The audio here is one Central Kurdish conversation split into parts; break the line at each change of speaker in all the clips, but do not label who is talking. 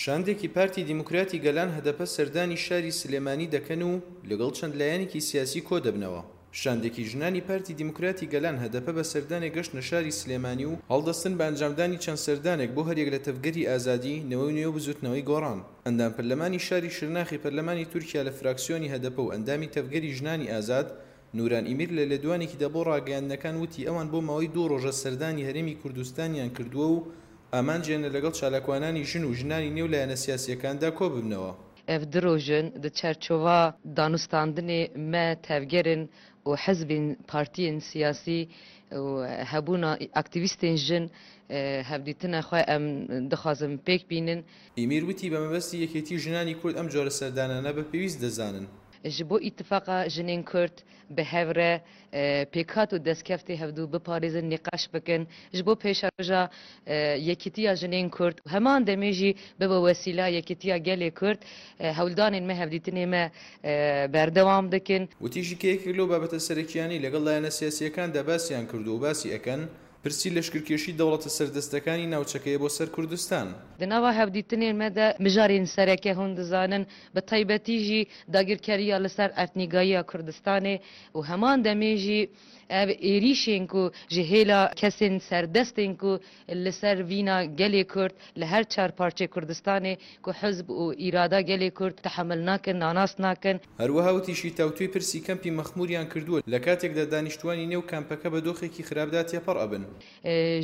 شاندێکی پارتی دیموکراتی گەلان هەدەپە سەردانی شاری سلێمانی دەکەن و لەگەڵ چەند لایەنێکی سیاسی کۆدەبنەوە. شاندێکی ژنانی پارتی دیموکراتی گەلان هەدەپە بە سەردانێک گەشتنە شاری سلێمانی و هەڵدەستن بە ئەنجامدانی چەند سەردانێک بۆ هەریەک لە تەڤگەری ئازادی، نەوەی نوێ و بزوتنەوەی گۆڕان. ئەندام پەرلەمانی شاری شرناخی پەرلەمانی تورکیا لە فراکسیۆنی هەدەپە و ئەندامی تەڤگەری ژنانی ئازاد، نوران ئیمیر لە لێدوانێکیدا بۆ ڕاگەیاندنەکان وتی ئەوان بۆ ماوەی دوو ڕۆژە سەردانی هەرێمی کوردستانیان کردووە و ئامانجیانە لەگەڵ چالاکوانانی ژن و ژنانی نێو لایەنە سیاسییەکاندا کۆببنەوە.
ئەڤ دو ڕۆژن دە چەرچۆڤا دانوستاندنێ مە تەڤگەرن و حزبێن پارتیێن سیاسی و هەبوونا ئاکتیڤیستێن ژن هەڤدیتنە خوە ئەم دخوازن پێک بینن.
ئیمیر وتی بە مەبەستی یەکێتی ژنانی کورد ئەم جۆرە سەردانانە بە پێویست دەزانن.
ژ بۆ ئیتفاقا ژنێن کورد بە هەڤ رە پێکهات و دەستکەفتێ هەڤدوو بپارێزن نیقاش بکەن ژ بۆ پێشەڕۆژا یەکیتیا ژنێن کورد و هەمان دەمێ ژی ببە وەسیلە یەکیتیا گەلێ کورد هەولدانێن مە هەڤدیتنێ مە بەردەوام دکن.
وتیشی کە یەکێک لەو بابەتە سەرەکییانەی لەگەڵ لایەنە سیاسییەکاندا باسیان کردووە و باسی ئەکەن، پرسی لەشکرکێشی دەوڵەتە سەردەستەکانی ناوچەکەیە بۆ سەر کوردستان.
دە ناڤا هەڤدیتنێن مە دە مژارێن سەرەکە هون دزانن، بە تایبەتی ژی داگیرکەرییا لە سەر ئەردنیگاییا کوردستانێ و هەمان دەمێ ژی ئەڤ ئێریشێن کو ژ هێلا کەسێن سەردەستێن کو لە سەر ڤینا گەلێ کورد لە هەر چار پارچەی کوردستانێ کو حزب و ئیرادا گەلێ کورد تەحەمول ناکن، ناناس ناکن.
هەروەها وتیشی تاوتوێی پرسی کەمپی مەخموریان کردووە لە کاتێکدا دانیشتوانی نێو کامپەکە بە دۆخێکی خراپدا تێپەڕ ئەبن.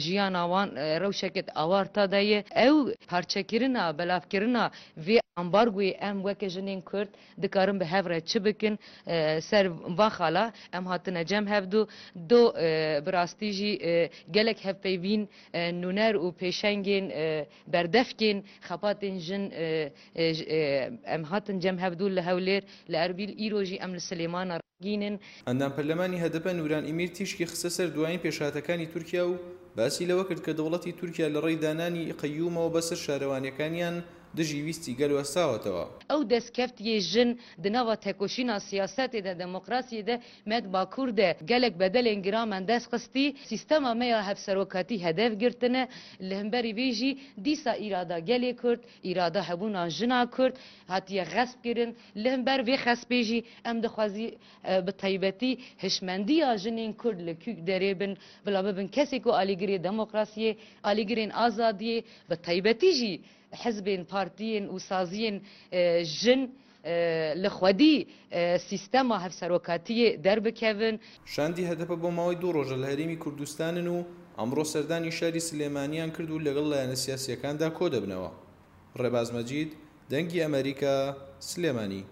ژیانا وان رەوشەکت ئاوارتا دە یە. ئەو پارچەکردنا، بەلاڤکردنا ڤێ ئامبارگۆیێ ئەم وەکە ژنێن کورد دکارن بە هەڤ رە چ بکن سەر ڤا خالا ئەم هاتنە جەم هەڤدوو دۆ براستی ژی گەلەک هەڤپەیڤین نونەر و پێشەنگێن بەردەفکێن خەپاتێن ژن ئەم هاتن جەم هەڤدوو لە هەولێر لە ئەربیل ئیرۆ ژی ئەم لە سلێمانە ڕاگینن.
ئەندام پەرلەمانی هەدەپە نوران ئیمیر تیشکی خستە سەر دوایین پێشهاتەکانی تورکیا و باسی لەوە کرد کە دەوڵەتی تورکیا لە ڕێی دانانی قەیومەوە بەسەر شارەوانیەکانیان دژی ویستی گەل وەستاوەتەوە.
ئەو دەستکەفتیێ ژن دە ناڤا تێکۆشینا سیاسەتێ دە دمۆکراسیێ دە مە د باکوور دە گەلەک بەدەلێن گران مەن دەست خستی، سیستەما مە یا هەڤسەرۆکاتی هەدەف گرتنە، لە همبەری ڤێ ژی دیسا ئیرادا گەلێ کورد، ئیرادا هەبوونا ژنا کورد هاتیە غەسب کرن، لە همبەر ڤێ خەسبێ ژی ئەم دخوازی بە تایبەتی هشمەندییا ژنێن کورد لە کوک دەرێ بن، بلا ببن کەسێ کو ئالیگرێ دمۆکراسیێ، ئالیگرێن ئازادیێ، بە تایبەتی ژی حزبێن پارتیێن و سازیێن ژن لە خوەدی سیستەما هەڤسەرۆکاتیێ دەربکەڤن.
شاندی هەدەپە بۆ ماوەی دوو ڕۆژە لە هەرێمی کوردستانن و ئەمڕۆ سەردانی شاری سلێمانیان کرد و لەگەڵ لایەنە سیاسییەکاندا کۆدەبنەوە. ڕێباز مەجید، دەنگی ئەمەریکا، سلێمانی.